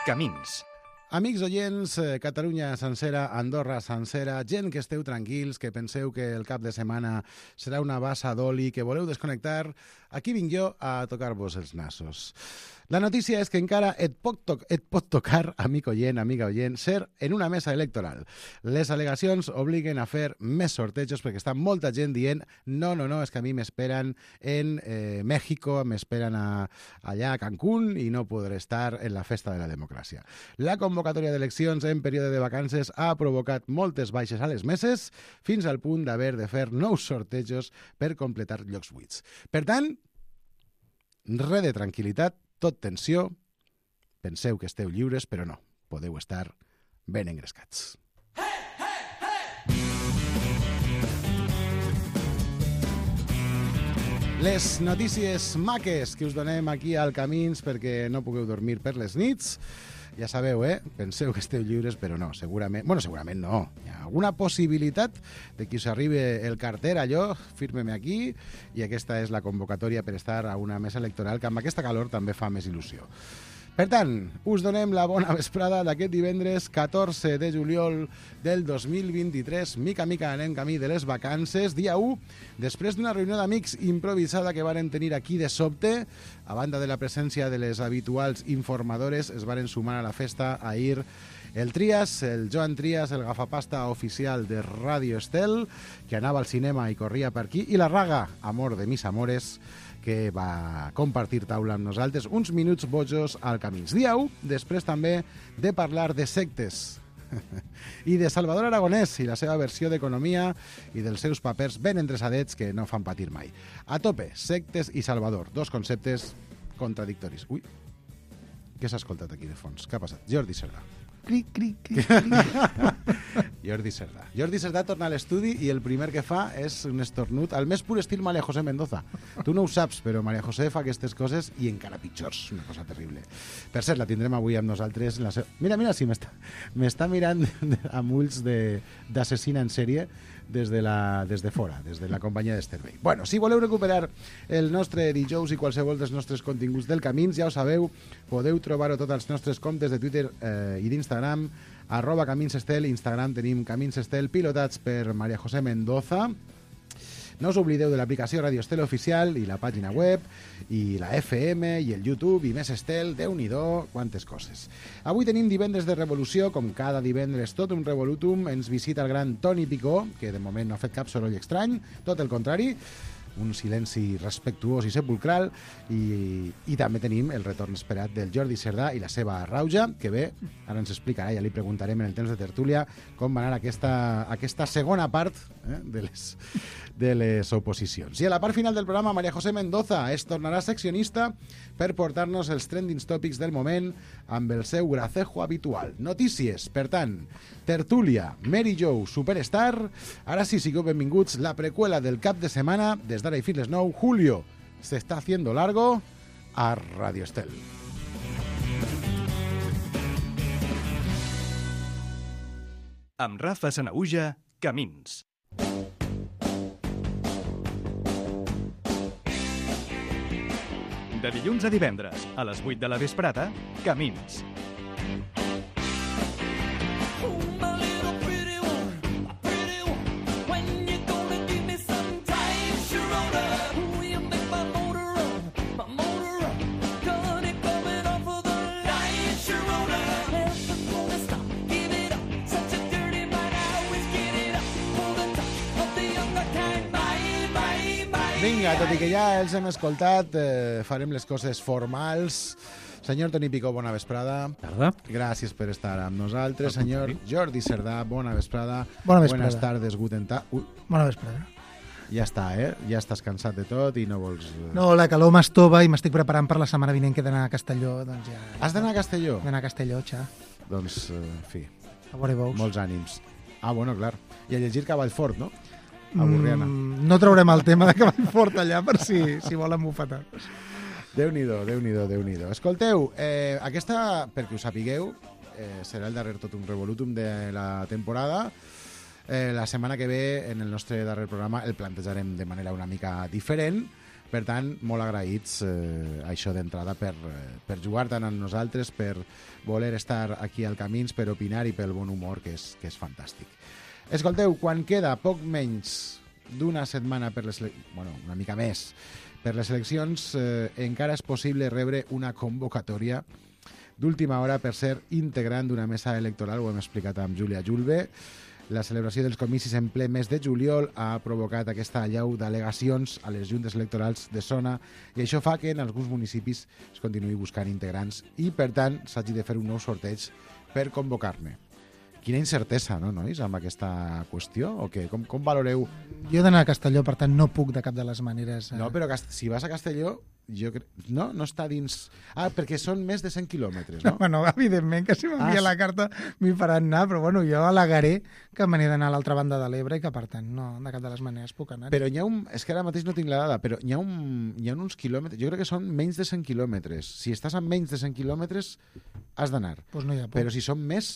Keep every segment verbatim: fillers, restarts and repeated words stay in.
Camins. Amics oients, Catalunya sencera, Andorra sencera, gent que esteu tranquils, que penseu que el cap de setmana serà una bassa d'oli, que voleu desconnectar, aquí vinc jo a tocar-vos els nassos. La notícia és que encara et pot, to et pot tocar, amic oient, amiga oient, ser en una mesa electoral. Les al·legacions obliguen a fer més sortejos perquè està molta gent dient no, no, no, és que a mi m'esperen en eh, México, m'esperen allà a Cancún i no podré estar en la festa de la democràcia. La convocatòria d'eleccions en període de vacances ha provocat moltes baixes a les meses fins al punt d'haver de fer nous sortejos per completar llocs buits. Per tant, res de tranquil·litat, tot tensió, penseu que esteu lliures, però no, podeu estar ben engrescats. Hey, hey, hey! Les notícies maques que us donem aquí al Camins perquè no pugueu dormir per les nits, ja sabeu, eh? Penseu que esteu lliures, però no, segurament... Bueno, segurament no. Hi ha alguna possibilitat de que us arribi el carter, allò, firme-me aquí, i aquesta és la convocatòria per estar a una mesa electoral que amb aquesta calor també fa més il·lusió. Per tant, us donem la bona vesprada d'aquest divendres catorze de juliol del dos mil vint-i-tres. Mica mica anem camí de les vacances. Dia u, després d'una reunió d'amics improvisada que varen tenir aquí de sobte, a banda de la presència de les habituals informadores, es varen sumar a la festa ahir el Trias, el Joan Trias, el gafapasta oficial de Radio Estel, que anava al cinema i corria per aquí, i la Raga, amor de mis amores, que va compartir taula amb nosaltres uns minuts bojos al Camins. Dia u, després també de parlar de sectes i de Salvador Aragonès i la seva versió d'economia i dels seus papers ben endreçadets que no fan patir mai. A tope, sectes i Salvador, dos conceptes contradictoris. Ui, què s'ha escoltat aquí de fons? Què ha passat? Jordi Cerdà. Cric, cric, cric, cric. Jordi Cerdà. Jordi Cerdà torna a l'estudi i el primer que fa és un estornut al més pur estil María José Mendoza. Tu no ho saps, però María José fa aquestes coses i encara pitjors. Una cosa terrible. Per cert, la tindrem avui amb nosaltres. La se... Mira, mira, sí, m'està mirant amb ulls d'assassina en sèrie des de, la, des de fora, des de la companyia d'Estervei. Bueno, si voleu recuperar el nostre dijous i qualsevol dels nostres continguts del Camins, ja ho sabeu, podeu trobar-ho tots els nostres comptes de Twitter eh, i d'Instagram, arroba Camins Estel, Instagram tenim Camins Estel, pilotats per María José Mendoza. No us oblideu de l'aplicació Radio Estel Oficial i la pàgina web, i la F M, i el YouTube, i més Estel, Déu-n'hi-do, quantes coses. Avui tenim divendres de revolució, com cada divendres tot un revolutum, ens visita el gran Toni Picó, que de moment no ha fet cap soroll estrany, tot el contrari, un silenci respectuós i sepulcral, i, i també tenim el retorn esperat del Jordi Cerdà i la seva rauja, que bé, ara ens explicarà, ja li preguntarem en el temps de tertúlia com va anar aquesta, aquesta segona part eh, de, les, de les oposicions. I a la part final del programa, María José Mendoza es tornarà seccionista per portar-nos els trending topics del moment amb el seu gracejo habitual. Notícies, per tant, tertúlia, Mary Jo, Superstar. Ara sí, sigueu benvinguts, la preqüela del cap de setmana, des d'ara i fins les nou, Julio se está haciendo largo a Radio Estel. Amb Rafa Sanahuja, Camins. De dilluns a divendres, a les vuit de la vesprada, Camins. Vinga, tot i que ja els hem escoltat, eh, farem les coses formals. Senyor Toni Picó, bona vesprada. Tarda. Gràcies per estar amb nosaltres. Senyor Jordi Cerdà, bona vesprada. Bona vesprada. Buenas tardes, guten tag. Ui, Bona vesprada. ja està, eh? Ja estàs cansat de tot i no vols... No, la calor m'estova i m'estic preparant per la setmana vinent que he d'anar a Castelló. Doncs ja... Has d'anar a Castelló? He d'anar a Castelló, xa. Doncs, eh, en fi, A veure veus. molts ànims. Ah, bueno, clar. I a llegir Cavallfort, no? A Borriana. Mm, no traurem el tema de Cavallfort allà per si, si volen bufetar. Déu-n'hi-do, Déu-n'hi-do, Déu-n'hi-do. Escolteu, eh, aquesta, perquè ho sapigueu, eh, serà el darrer tot un revolutum de la temporada. Eh, la setmana que ve, en el nostre darrer programa, el plantejarem de manera una mica diferent, Per tant, molt agraïts eh, això d'entrada per, eh, per jugar tant amb nosaltres, per voler estar aquí al Camins, per opinar i pel bon humor, que és, que és fantàstic. Escolteu, quan queda poc menys d'una setmana per les... Bueno, una mica més, per les eleccions, eh, encara és possible rebre una convocatòria d'última hora per ser integrant d'una mesa electoral, ho hem explicat amb Júlia Julve. La celebració dels comicis en ple mes de juliol ha provocat aquesta allau d'al·legacions a les juntes electorals de zona i això fa que en alguns municipis es continuï buscant integrants i, per tant, s'hagi de fer un nou sorteig per convocar-ne. Quina incertesa, no, nois, amb aquesta qüestió? O què? Com, com valoreu? Jo he d'anar a Castelló, per tant no puc de cap de les maneres. Eh... No, però si vas a Castelló, jo cre... no, no està dins... Ah, perquè són més de cent quilòmetres, no? No, bueno, evidentment que si m'envia Ah, la carta m'hi faran anar, però bueno, jo al·legaré que me n'he d'anar a l'altra banda de l'Ebre i que, per tant, no, de cap de les maneres puc anar. Però hi ha un... És que ara mateix no tinc la dada, però hi ha, un, hi ha uns quilòmetres... Jo crec que són menys de cent quilòmetres. Si estàs a menys de cent quilòmetres, has d'anar. Pues no hi ha por. Però si són més...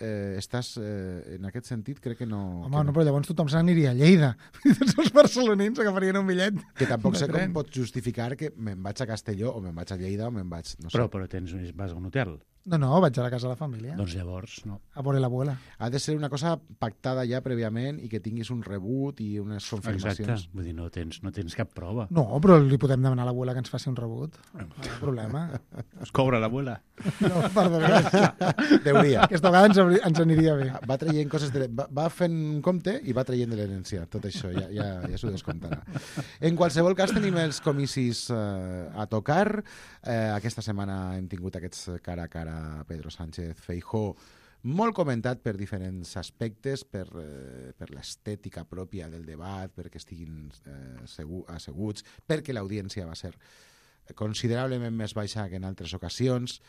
Eh, estàs, eh, en aquest sentit, crec que no... Home, que no, però llavors tothom se n'aniria a Lleida. Tots els barcelonins agafarien un bitllet. Que tampoc de sé tren. com pots justificar que me'n vaig a Castelló o me'n vaig a Lleida o me'n vaig... No sé. Però, però tens, vas a un hotel. No, no, vaig a la casa de la família. Doncs llavors, no. A veure l'abuela. Ha de ser una cosa pactada ja prèviament i que tinguis un rebut i unes Exacte. confirmacions. Vull dir, no tens, no tens cap prova. No, però li podem demanar a l'abuela que ens faci un rebut. No hi ha problema. Es cobra l'abuela. No, perdona. Deuria. Aquesta vegada ens, hauria- ens aniria bé. Va traient coses de... Va, va fent un compte i va traient de l'herència. Tot això ja, ja, ja s'ho descomptarà. En qualsevol cas, tenim els comicis eh, a tocar. Eh, aquesta setmana hem tingut aquests cara a cara Pedro Sánchez Feijóo, molt comentat per diferents aspectes, per, eh, per l'estètica pròpia del debat, perquè estiguin eh, segur, asseguts, perquè l'audiència va ser considerablement més baixa que en altres ocasions,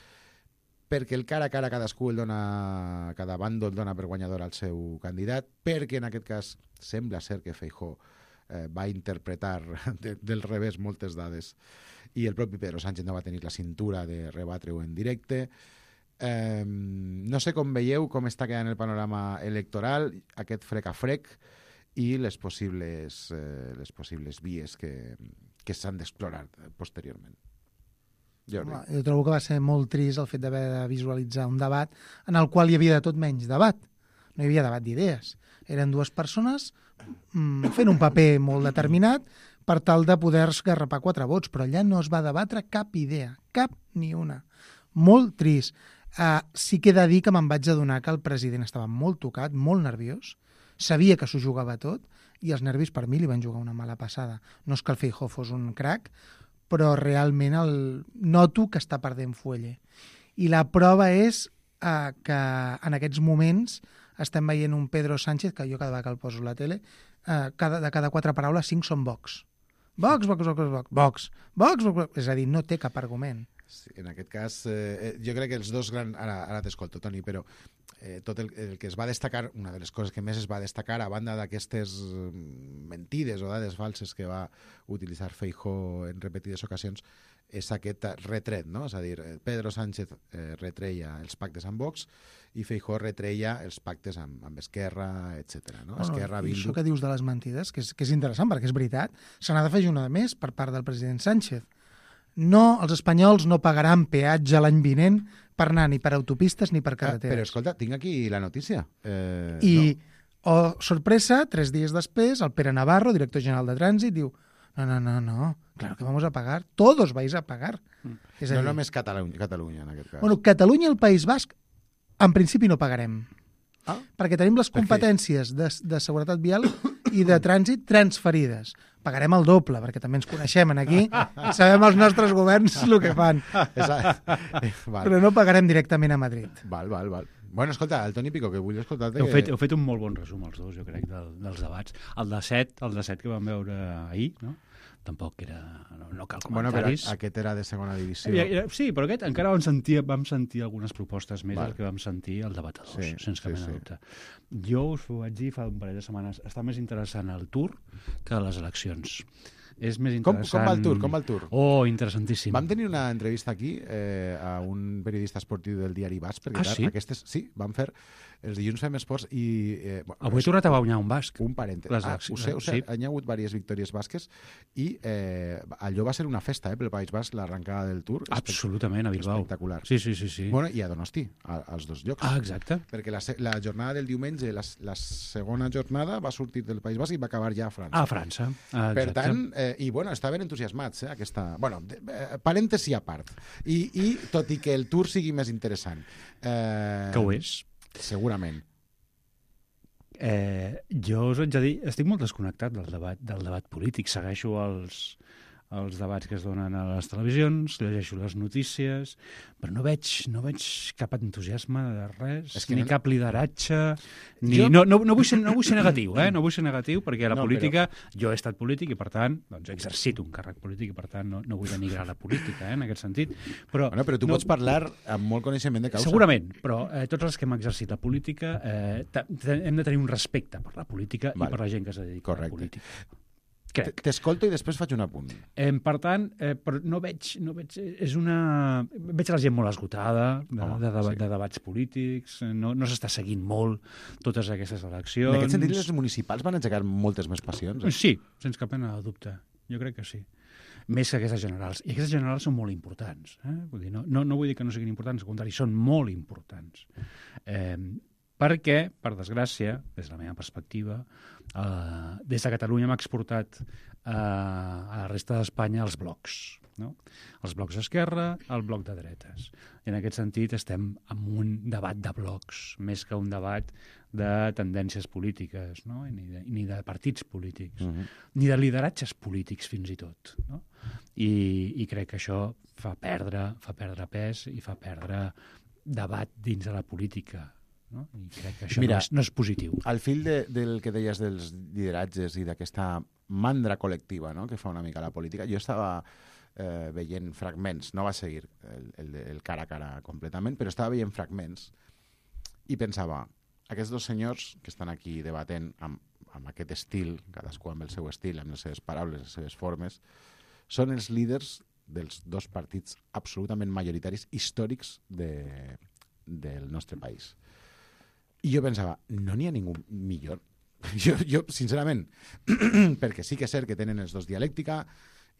perquè el cara a cara cadascú el dona, cada bàndol dona per guanyador al seu candidat, perquè en aquest cas sembla ser que Feijóo eh, va interpretar de, del revés moltes dades i el propi Pedro Sánchez no va tenir la cintura de rebatre-ho en directe. Eh, no sé com veieu com està quedant el panorama electoral, aquest frec a frec i les possibles, eh, les possibles vies que, que s'han d'explorar posteriorment. Jordi. Home, jo trobo que va ser molt trist el fet d'haver de visualitzar un debat en el qual hi havia de tot menys debat. No hi havia debat d'idees. Eren dues persones mm, fent un paper molt determinat per tal de poder esgarrapar quatre vots, però allà no es va debatre cap idea, cap ni una. Molt trist. Uh, sí que he de dir que me'n vaig adonar que el president estava molt tocat, molt nerviós, sabia que s'ho jugava tot i els nervis per mi li van jugar una mala passada. No és que el Feijóo fos un crac, però realment el... noto que està perdent fuelle. I la prova és uh, que en aquests moments estem veient un Pedro Sánchez, que jo cada vegada que el poso a la tele, uh, cada, de cada quatre paraules, cinc són Vox. Vox, Vox, Vox, Vox, Vox, Vox, Vox, Vox. És a dir, no té cap argument. Sí, en aquest cas, eh, jo crec que els dos grans... Ara, ara t'escolto, Toni, però eh, tot el, el que es va destacar, una de les coses que més es va destacar, a banda d'aquestes mentides o dades falses que va utilitzar Feijóo en repetides ocasions, és aquest retret, no? És a dir, Pedro Sánchez eh, retreia els pactes amb Vox i Feijóo retreia els pactes amb, amb Esquerra, etcètera. No? Bueno, Esquerra, i Bildu... això que dius de les mentides, que és, que és interessant, perquè és veritat, se n'ha d'afegir una de més per part del president Sánchez. No, els espanyols no pagaran peatge l'any vinent per anar ni per autopistes ni per carreteres. Ah, però escolta, tinc aquí la notícia. Eh, I, no. oh, sorpresa, tres dies després, el Pere Navarro, director general de Trànsit, diu no, no, no, no, claro que vamos a pagar, todos vais a pagar. Mm. És a No dir, només Catalunya, Catalunya, en aquest cas. bueno, Catalunya i el País Basc, en principi no pagarem. Ah? Perquè tenim les Per què? competències de, de seguretat vial i de trànsit transferides. Pagarem el doble, perquè també ens coneixem en aquí i sabem els nostres governs el que fan. Exacte. Val. Però no pagarem directament a Madrid. Val, val, val. Bueno, escolta, el Toni Pico, que vull escoltar-te... Heu que... fet, heu fet un molt bon resum, els dos, jo crec, del, dels debats. El de set, el de set que vam veure ahir, no? Tampoc era... No, no cal Bueno, però comentaris. aquest era de segona divisió. Ja, ja, sí, però aquest encara vam sentir, vam sentir algunes propostes més Val. del que vam sentir al debatadors, Sí, sense cap sí, mena de sí. dubte. Jo us ho vaig dir fa un parell de setmanes, està més interessant el Tour que les eleccions. és més Com, interessant. com va el tour? Com va el tour? Oh, interessantíssim. Vam tenir una entrevista aquí eh, a un periodista esportiu del diari Basc, perquè Ah, clar, sí? aquestes, sí, vam fer els dilluns fem esports i... Eh, bueno, Avui he tornat a guanyar un basc. un parèntesi. Les Ah, accions, ho sé, ho sé, sí. hi ha hagut diverses victòries basques i eh, allò va ser una festa eh, pel País Basc, l'arrencada del Tour. Absolutament, a Bilbao. Espectacular. Sí, sí, sí. sí. Bueno, i a Donosti, a, als dos llocs. Ah, exacte. Perquè la, se- la jornada del diumenge, la, la segona jornada, va sortir del País Basc i va acabar ja a França. A França. Ah, Per exacte. tant, eh, i bueno, estaven entusiasmats, eh, aquesta... Bueno, de, eh, parèntesi a part. I, I tot i que el Tour sigui més interessant... Eh, Que ho és. Segurament. Eh, jo us haig de dir, estic molt desconnectat del debat, del debat polític. Segueixo els, els debats que es donen a les televisions, llegeixo les notícies, però no veig, no veig cap entusiasme de res, És que ni no- cap lideratge, ni... Jo- No, no, no, vull ser, no vull ser negatiu, eh? No vull ser negatiu, perquè la No, política... Jo he estat polític i, per tant, doncs, he exercit un càrrec polític i, per tant, no, no vull denigrar la política, eh, en aquest sentit. Però, Bueno, però tu no, pots parlar amb molt coneixement de causa. Segurament, però eh, tots els que hem exercit la política eh, ta- ta- hem de tenir un respecte per la política Val. i per la gent que es dedica Correcte. a la política. T- Crec. T'escolto i després faig un apunt. Eh, per tant, eh, però no veig, no veig... És una... Veig la gent molt esgotada de, Home, de, de, sí. de debats polítics, eh, no, no s'està seguint molt totes aquestes eleccions. En aquest sentit, les municipals van engegar moltes més passions. Eh? Sí, sense cap mena de dubte. Jo crec que sí. Més que aquestes generals. I aquestes generals són molt importants. Eh? Vull dir, no, no, no vull dir que no siguin importants, al contrari, són molt importants. Eh, perquè, per desgràcia, des de la meva perspectiva, eh, des de Catalunya hem exportat eh, a la resta d'Espanya els blocs. No? Els blocs d'esquerra, el bloc de dretes. I en aquest sentit estem en un debat de blocs, més que un debat de tendències polítiques, no? I ni, de, ni de partits polítics, Uh -huh. ni de lideratges polítics fins i tot. No? I, I crec que això fa perdre, fa perdre pes i fa perdre debat dins de la política. No? I crec que això Mira, no, és, no és positiu. Al fil de, del que deies dels lideratges i d'aquesta mandra col·lectiva, no?, que fa una mica la política, jo estava eh, veient fragments, no va seguir el, el, el cara a cara completament, però estava veient fragments i pensava, aquests dos senyors que estan aquí debatent amb, amb aquest estil, cadascú amb el seu estil, amb les seves paraules, les seves formes, són els líders dels dos partits absolutament majoritaris històrics de, del nostre país. I jo pensava, no n'hi ha ningú millor. Jo, jo sincerament, perquè sí que és cert que tenen els dos dialèctica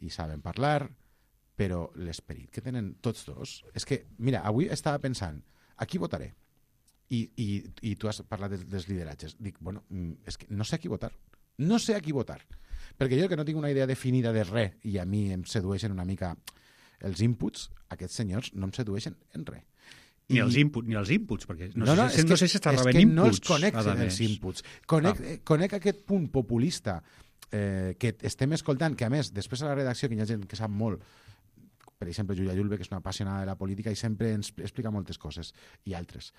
i saben parlar, però l'esperit que tenen tots dos... És que, mira, avui estava pensant, a qui votaré? I, i, i tu has parlat dels, dels lideratges. Dic, bueno, és que no sé a qui votar. No sé a qui votar. Perquè jo que no tinc una idea definida de res i a mi em sedueixen una mica els inputs, aquests senyors no em sedueixen en res. Ni I- els inputs, ni els inputs, perquè no, no, no, sé, si- no sé si està és rebent que inputs. no els conec a els més. inputs. Conec, Ah. eh, conec aquest punt populista eh, que estem escoltant, que a més, després a la redacció, que hi ha gent que sap molt, per exemple, Julia Julve, que és una apassionada de la política i sempre ens explica moltes coses, i altres,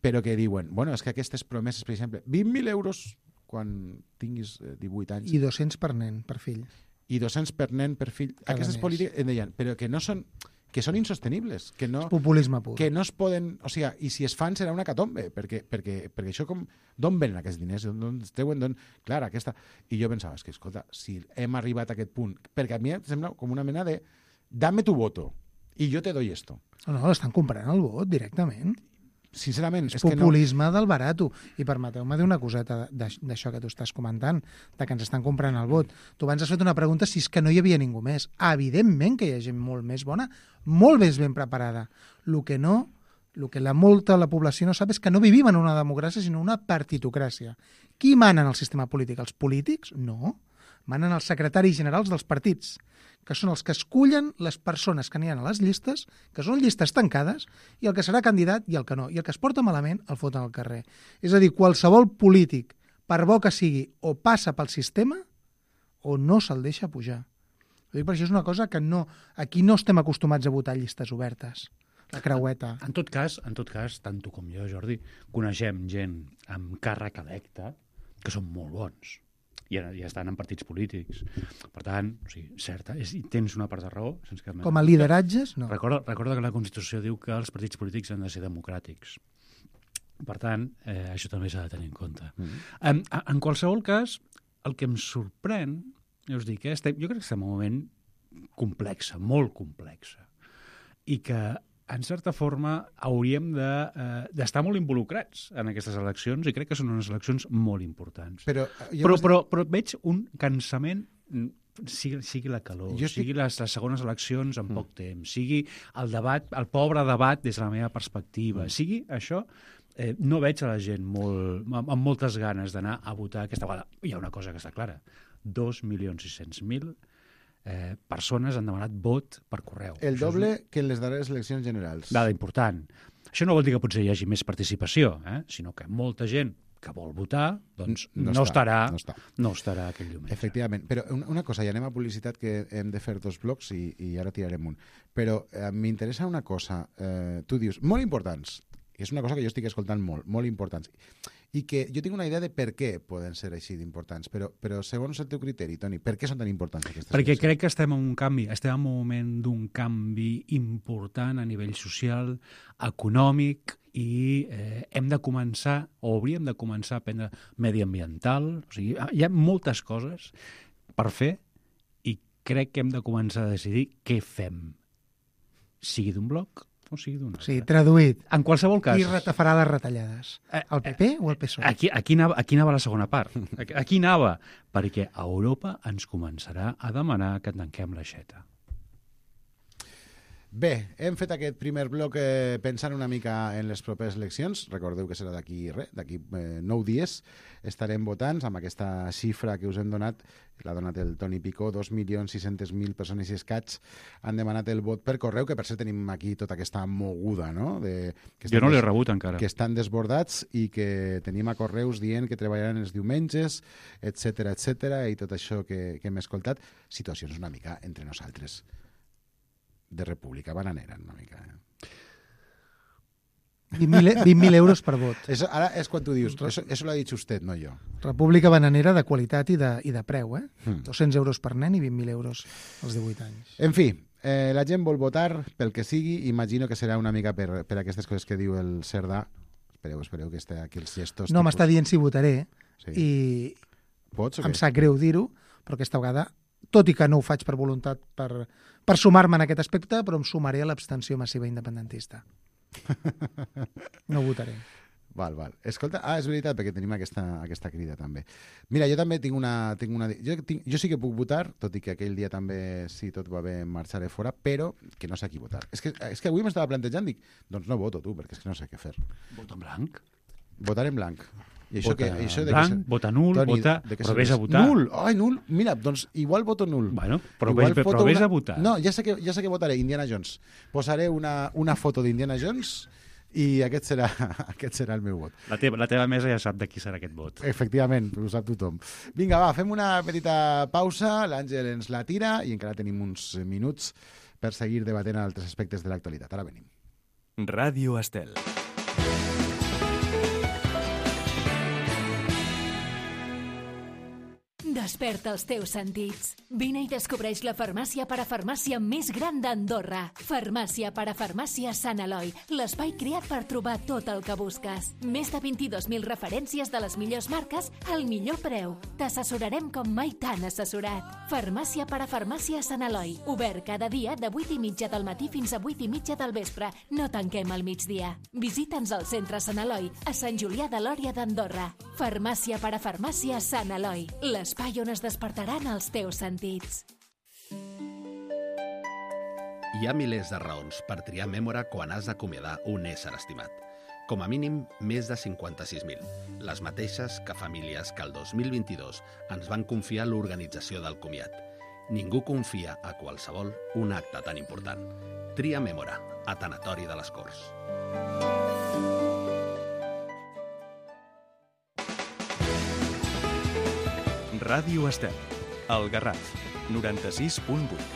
però que diuen, bueno, és que aquestes promeses, per exemple, vint mil euros quan tinguis eh, divuit anys, I dos-cents per nen, per fill. i dos-cents per nen, per fill, Cada aquestes mes. polítiques, em deien, però que no són que són insostenibles, que no, Populisme pur. que no es poden... O sigui, i si es fan serà una catombe, perquè, perquè, perquè això com... D'on venen aquests diners? D'on es treuen? D'on... Clar, aquesta... I jo pensava, és que, escolta, si hem arribat a aquest punt... Perquè a mi em sembla com una mena de... Dame tu voto, i jo te doy esto. No, no, l'estan comprant el vot directament. Sincerament, És és que no... populisme del barato. I permeteu-me dir una coseta d'aix- d'això que tu estàs comentant, de que ens estan comprant el vot. Tu abans has fet una pregunta si és que no hi havia ningú més. Evidentment que hi ha gent molt més bona, molt més ben preparada. El que no, el que la molta de la població no sap és que no vivim en una democràcia, sinó una partitocràcia. Qui mana en el sistema polític? Els polítics? No. Manen els secretaris generals dels partits, que són els que escullen les persones que n'hi ha a les llistes, que són llistes tancades, i el que serà candidat i el que no. I el que es porta malament el foten al carrer. És a dir, qualsevol polític, per bo que sigui, o passa pel sistema o no se'l deixa pujar. Ho dic perquè això és una cosa que no, aquí no estem acostumats a votar llistes obertes. La creueta. En tot cas, en tot cas, tant tu com jo, Jordi, coneixem gent amb càrrec electe que són molt bons i ja, ja estan en partits polítics. Per tant, o sigui, certa, és, i tens una part de raó. Sense cap mena Com a de dubte. lideratges, no. Recorda, recorda que la Constitució diu que els partits polítics han de ser democràtics. Per tant, eh, això també s'ha de tenir en compte. Mm. En, en qualsevol cas, el que em sorprèn ja us dic, eh? estem, jo crec que estem en un moment complexa, molt complexa, i que, en certa forma, hauríem d'estar de, eh, molt involucrats en aquestes eleccions, i crec que són unes eleccions molt importants. Però, però, però, però veig un cansament, sigui, sigui la calor, jo estic... sigui les, les segones eleccions en mm. poc temps, sigui el debat, el pobre debat des de la meva perspectiva, mm. sigui això, eh, no veig a la gent molt, amb, amb moltes ganes d'anar a votar aquesta vegada. Hi ha una cosa que està clara, dos milions sis-cents mil eh, persones han demanat vot per correu. El Això doble és... que en les darreres eleccions generals. Dada important. Això no vol dir que potser hi hagi més participació, eh? sinó que molta gent que vol votar, doncs no, no, està, estarà, no, està. no estarà aquell diumenge. Efectivament. Però una, una cosa, ja anem a publicitat, que hem de fer dos blocs i, i ara tirarem un. Però eh, m'interessa una cosa. Eh, tu dius, molt importants, i és una cosa que jo estic escoltant molt, molt importants, i que jo tinc una idea de per què poden ser així d'importants, però, però segons el teu criteri, Toni, per què són tan importants aquestes Perquè eleccions? crec que estem en un canvi, estem en un moment d'un canvi important a nivell social, econòmic, i eh, hem de començar, o hauríem de començar a aprendre mediambiental, o sigui, hi ha moltes coses per fer, i crec que hem de començar a decidir què fem, sigui d'un bloc o sigui d'un altre. Sí, traduït. En qualsevol cas... Qui retafarà les retallades? El P P o el P S O E? Aquí, aquí, anava, aquí anava la segona part. Aquí, aquí anava, perquè Europa ens començarà a demanar que tanquem l'aixeta. Bé, hem fet aquest primer bloc eh, pensant una mica en les properes eleccions. Recordeu que serà d'aquí res, d'aquí eh, nou dies. Estarem votant amb aquesta xifra que us hem donat, l'ha donat el Toni Picó, dos milions sis-cents mil persones i escaig han demanat el vot per correu, que per cert tenim aquí tota aquesta moguda, no? De, que jo no l'he rebut encara. Que estan desbordats i que tenim a correus dient que treballaran els diumenges, etcètera, etcètera, i tot això que, que hem escoltat. Situacions una mica entre nosaltres. De república bananera, una mica. Eh? vint mil euros per vot. Eso, ara és quan tu dius, eso, eso lo ha dit usted, no jo. República bananera de qualitat i de, i de preu, eh? Hmm. dos-cents euros per nen i vint mil euros als divuit anys. En fi, eh, la gent vol votar pel que sigui, imagino que serà una mica per, per aquestes coses que diu el Cerdà. Espereu, espereu que esté aquí els gestos. No, m'està dient si votaré, sí. i Pots, o em què? sap greu dir-ho, però aquesta vegada, tot i que no ho faig per voluntat, per, per sumar-me en aquest aspecte, però em sumaré a l'abstenció massiva independentista. No votaré. Val, val. Escolta, ah, és veritat, perquè tenim aquesta, aquesta crida també. Mira, jo també tinc una... Tinc una jo, tinc, jo sí que puc votar, tot i que aquell dia també, si tot va bé, marxaré fora, però que no sé a qui votar. És que, és que avui m'estava plantejant, dic, doncs no voto tu, perquè és que no sé què fer. Vota en blanc. Votar en blanc. I això vota que, això de blanc, que se... vota nul, Toni, vota... Però vés a votar. Nul! Ai, nul! Mira, doncs igual voto nul. Bueno, però, igual vés, però vés a votar. No, ja sé, que, ja sé que votaré Indiana Jones. Posaré una, una foto d'Indiana Jones i aquest serà, aquest serà el meu vot. La teva, la teva mesa ja sap de qui serà aquest vot. Efectivament, ho sap tothom. Vinga, va, fem una petita pausa, l'Àngel ens la tira i encara tenim uns minuts per seguir debatent altres aspectes de l'actualitat. Ara venim. Ràdio Estel. Desperta els teus sentits. Vine i descobreix la farmàcia parafarmàcia més gran d'Andorra. Farmàcia parafarmàcia Sant Eloi, l'espai creat per trobar tot el que busques. Més de vint-i-dos mil referències de les millors marques al millor preu. T'assessorarem com mai t'han assessorat. Farmàcia parafarmàcia Sant Eloi, obert cada dia de vuit i mitja del matí fins a vuit i mitja del vespre. No tanquem al migdia. Visita'ns al centre Sant Eloi, a Sant Julià de Lòria d'Andorra. Farmàcia parafarmàcia Sant Eloi, l'espai on es despertaran els teus sentits. Hi ha milers de raons per triar Mémora quan has d'acomiadar un ésser estimat. Com a mínim, més de cinquanta-sis mil. Les mateixes que famílies que el dos mil vint-i-dos ens van confiar l'organització del comiat. Ningú confia a qualsevol un acte tan important. Tria Mémora, a Tanatori de les Corts. Ràdio Estel, el Garraf, noranta-sis punt vuit.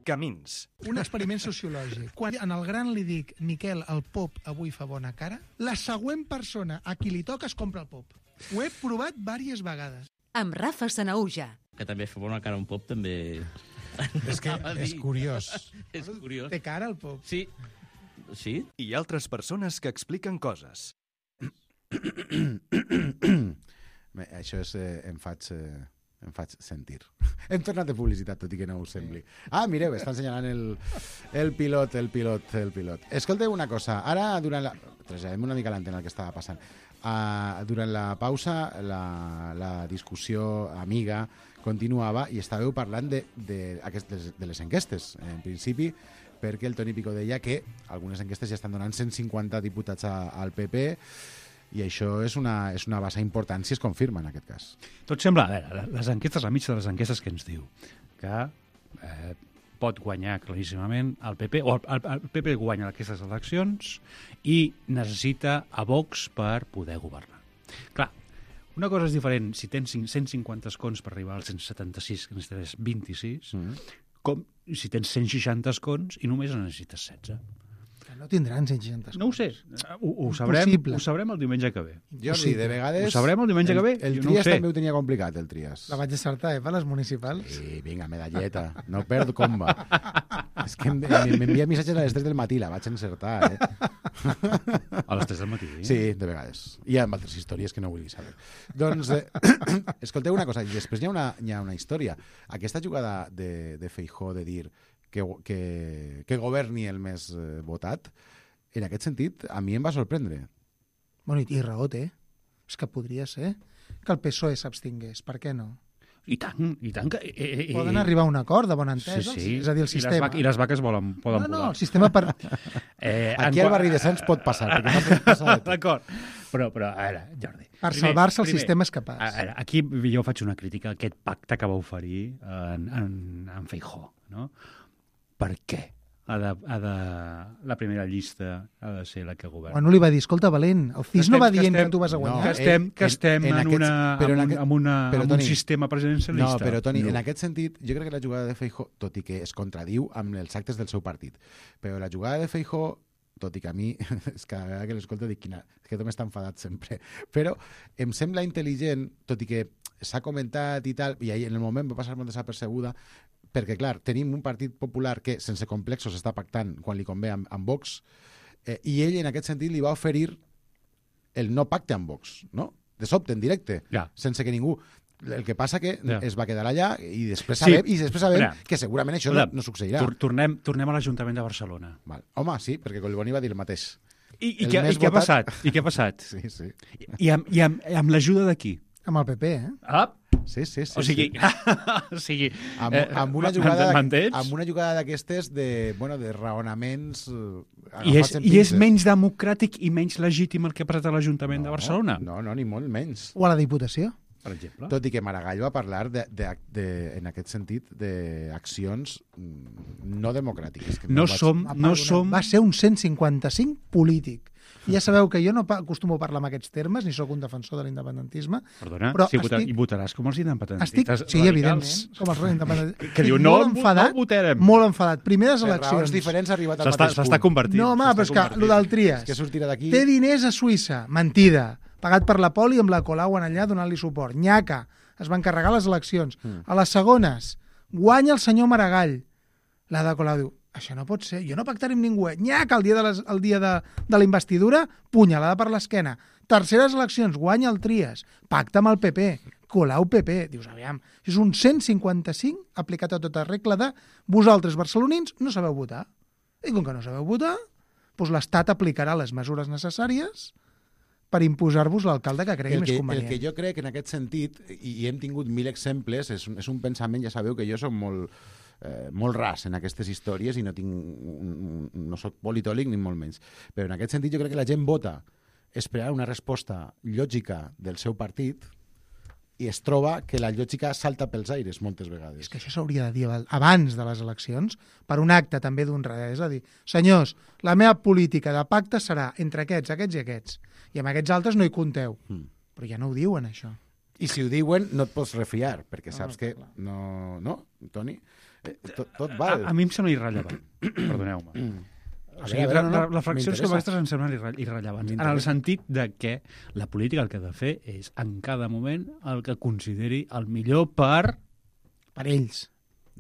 Camins. Un experiment sociològic. Quan en el gran li dic, Miquel, el pop avui fa bona cara, la següent persona a qui li toca es compra el pop. Ho he provat diverses vegades. Amb Rafa Sanauja. Que també fa bona cara un pop, també... És que és curiós. És curiós. Té cara el pop. Sí. Sí? I altres persones que expliquen coses. Bé, això és... Eh, em faig... Eh, em faig sentir. Hem tornat de publicitat, tot i que no us sembli. Ah, mireu, està ensenyalant el, el pilot, el pilot, el pilot. Escolteu una cosa, ara durant la... Traslladem una mica l'antena el que estava passant. Uh, durant la pausa, la, la discussió amiga continuava i estàveu parlant de, de, aquestes, de les enquestes. En principi, perquè el Toni Picó deia que algunes enquestes ja estan donant cent cinquanta diputats a, al P P, i això és una, és una base important si es confirma en aquest cas. Tot sembla, a veure, les enquestes, la mitja de les enquestes que ens diu que eh, pot guanyar claríssimament el P P, o el, el P P guanya aquestes eleccions i necessita a Vox per poder governar. Clar, una cosa és diferent si tens cent cinquanta escons per arribar als cent setanta-sis, que necessites vint-i-sis, mm. com si tens cent seixanta escons i només en necessites setze. No tindran cent seixanta escons. No ho sé. Ho, ho, sabrem, ho sabrem el diumenge que ve. Jordi, de vegades... Ho sabrem el diumenge el, que ve? El Jo Trias no ho també ho tenia complicat, el Trias. La vaig acertar, eh, per les municipals. Sí, vinga, medalleta. No perdo comba. És que m'envia missatges a les tres del matí, la vaig encertar, eh? A les tres del matí? Sí, de vegades. I amb altres històries que no vull saber. Doncs, eh, escolteu una cosa, i després hi ha una, hi ha una història. Aquesta jugada de, de Feijóo de dir que, que, que governi el més eh, votat, en aquest sentit, a mi em va sorprendre. Bueno, i, i raó té. És que podria ser que el P S O E s'abstingués. Per què no? I tant, i tant. Que, eh, eh, Poden arribar a un acord de bona entesa. Sí, sí. És a dir, el sistema... I les, vac I les vaques volen, poden no, no, volar. el sistema per... eh, Aquí al barri de Sants pot passar. Perquè no pot passar D'acord. Però, però, a veure, Jordi... Per salvar-se el sistema és capaç. A veure, aquí jo faig una crítica a aquest pacte que va oferir en, en, en Feijóo, no? Per què? Ha de, ha de, la primera llista ha de ser la que governa. Bueno, li va dir, escolta, Valent, el C I S no va dient que, estem, que tu vas a guanyar. No, que estem, que estem en, en, en, aquests, una, en, un, en, una, però, en Toni, un sistema presidencialista. No, però, Toni, no. En aquest sentit, jo crec que la jugada de Feijóo, tot i que es contradiu amb els actes del seu partit, però la jugada de Feijóo, tot i que a mi, és cada vegada que l'escolto dic, quina, és que tu m'està enfadat sempre, però em sembla intel·ligent, tot i que s'ha comentat i tal, i en el moment va passar molt desapercebuda, perquè, clar, tenim un partit popular que, sense complexos, està pactant quan li convé amb, amb Vox, eh, i ell, en aquest sentit, li va oferir el no pacte amb Vox, no? De sobte, en directe, ja. Sense que ningú... El que passa que ja. es va quedar allà i després sí. sabem, i després sabem ja. que segurament això ja. no, no succeirà. Tornem, tornem a l'Ajuntament de Barcelona. Val. Home, sí, perquè Collboni va dir el mateix. I, i, què, i què ha passat? I què ha passat? Sí, sí. I, i amb, i amb, amb l'ajuda de qui? Amb el P P, eh? Ah, sí, sí, sí. O sigui, sí. o sigui amb, amb una jugada amb una jugada d'aquestes de, bueno, de raonaments I és, i és menys democràtic i menys legítim el que ha passat a l'Ajuntament no, de Barcelona? No, no, ni molt menys. O a la Diputació? Per exemple. Tot i que Maragall va parlar, de, de, de, en aquest sentit, d'accions no democràtiques. Que no, no, som, vaig... no som... Va ser un cent cinquanta-cinc polític. I ja sabeu que jo no acostumo a parlar en aquests termes, ni sóc un defensor de l'independentisme. Perdona, però si estic... estic... votaràs com els independentistes estic... Sí, radicals. evidentment, com els independentistes. Que, que diu, no, enfadat, no votarem. Molt enfadat. Primeres per eleccions. raons diferents ha arribat al mateix punt. S'està convertint. No, home, però és que el del Trias. Que sortirà d'aquí... Té diners a Suïssa. Mentida. Pagat per la Poli amb la Colau en allà donant-li suport. Nyaca. Es van carregar les eleccions. Mm. A les segones, guanya el senyor Maragall. La de Colau diu, això no pot ser, jo no pactaré amb ningú. Nyaca, el dia de, les, el dia de, de la investidura, punyalada per l'esquena. Terceres eleccions, guanya el Trias. Pacta amb el P P. Colau P P. Dius, aviam, és un cent cinquanta-cinc aplicat a tota regla de vosaltres, barcelonins, no sabeu votar. I com que no sabeu votar, doncs l'Estat aplicarà les mesures necessàries per imposar-vos l'alcalde que cregui més convenient. El que jo crec en aquest sentit, i, i hem tingut mil exemples, és, és un pensament, ja sabeu que jo soc molt, eh, molt ras en aquestes històries i no tinc, no soc politòleg ni molt menys. Però en aquest sentit jo crec que la gent vota esperar una resposta lògica del seu partit i es troba que la lògica salta pels aires moltes vegades. És que això s'hauria de dir abans de les eleccions, per un acte també d'honradesa, és a dir, senyors, la meva política de pacte serà entre aquests, aquests i aquests, i amb aquests altres no hi compteu. Mm. Però ja no ho diuen, això. I si ho diuen, no et pots refiar, perquè saps no, que clar. no... No, Toni? Eh, tot, tot val. A, a mi em sembla irrellevant. Perdoneu-me. Mm. O sigui, veure, no, no, les fraccions com aquestes em semblen irre irrellevants. En el sentit de que la política el que ha de fer és, en cada moment, el que consideri el millor per... Per ells.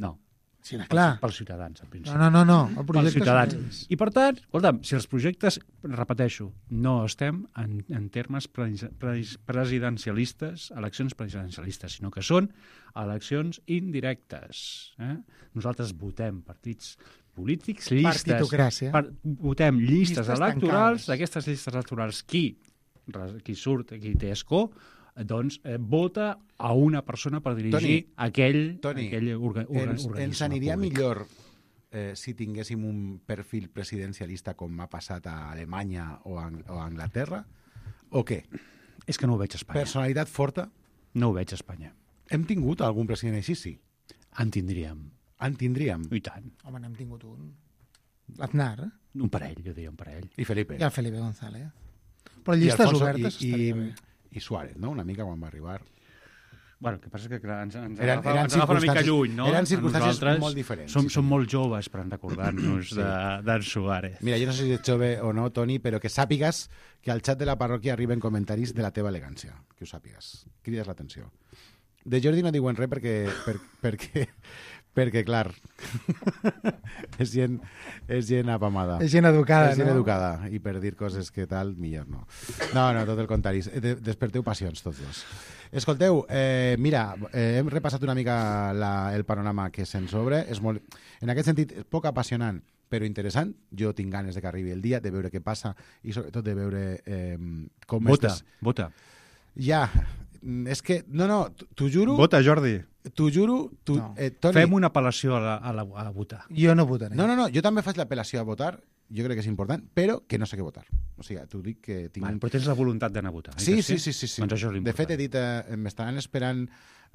No. Sí, clar. Pels ciutadans, al principi. No, no, no, no. El Pels projecte ciutadans. són ells. I, per tant, escolta'm, si els projectes, repeteixo, no estem en, en termes pres, pres, presidencialistes, eleccions presidencialistes, sinó que són eleccions indirectes. Eh? Nosaltres votem partits polítics, llistes... Partitocràcia. Per, votem llistes, Llistes electorals, tancades. d'aquestes llistes electorals, qui, qui surt, qui té escó, doncs eh, vota a una persona per dirigir Toni, aquell, Toni, aquell orga, orga, ens, organisme ens aniria públic. millor eh, si tinguéssim un perfil presidencialista com ha passat a Alemanya o a, o a Anglaterra, o què? És que no ho veig a Espanya. Personalitat forta? No ho veig a Espanya. Hem tingut algun president així, sí. En tindríem. En tindríem. I tant. Home, n'hem tingut un. L'Aznar, eh? Un parell, jo diria un parell. I Felipe. I el Felipe González. Però I llistes Alfonso- obertes i, estaria i, bé. i Suárez, no? Una mica quan va arribar. Bueno, el que passa és que clar, ens, ens, Eren- agafa, eren ens agafa una mica circumstàncies- lluny, no? eren circumstàncies Nosaltres molt diferents, Som, sí, som senyor. molt joves per recordar-nos Sí. de d'en Suárez. Mira, jo no sé si ets jove o no, Toni, però que sàpigues que al xat de la parròquia arriben comentaris de la teva elegància. Que ho sàpigues. Crides l'atenció. De Jordi no diuen res perquè, per, perquè, perquè clar, és gent, és gent apamada. És gent educada, és gent no? educada, i per dir coses que tal, millor no. No, no, tot el contrari. De, desperteu passions, tots dos. Escolteu, eh, mira, eh, hem repassat una mica la, el panorama que se'ns obre. És molt, en aquest sentit, és poc apassionant, però interessant. Jo tinc ganes de que arribi el dia, de veure què passa i sobretot de veure eh, com... Vota, estes... vota. Ja, és que... No, no, t'ho juro... Vota, Jordi. T'ho juro... Tu, No. eh, Toni, Fem una apel·lació a, la, a, la, a votar. Jo no votaré. No, no, no, jo també faig l'apel·lació a votar, jo crec que és important, però que no sé què votar. O sigui, t'ho dic que tinc... Vale, però tens la voluntat d'anar a votar. oi Sí, que sí, sí, sí, sí. Doncs això és De l'important. fet, he dit, eh, m'estaran esperant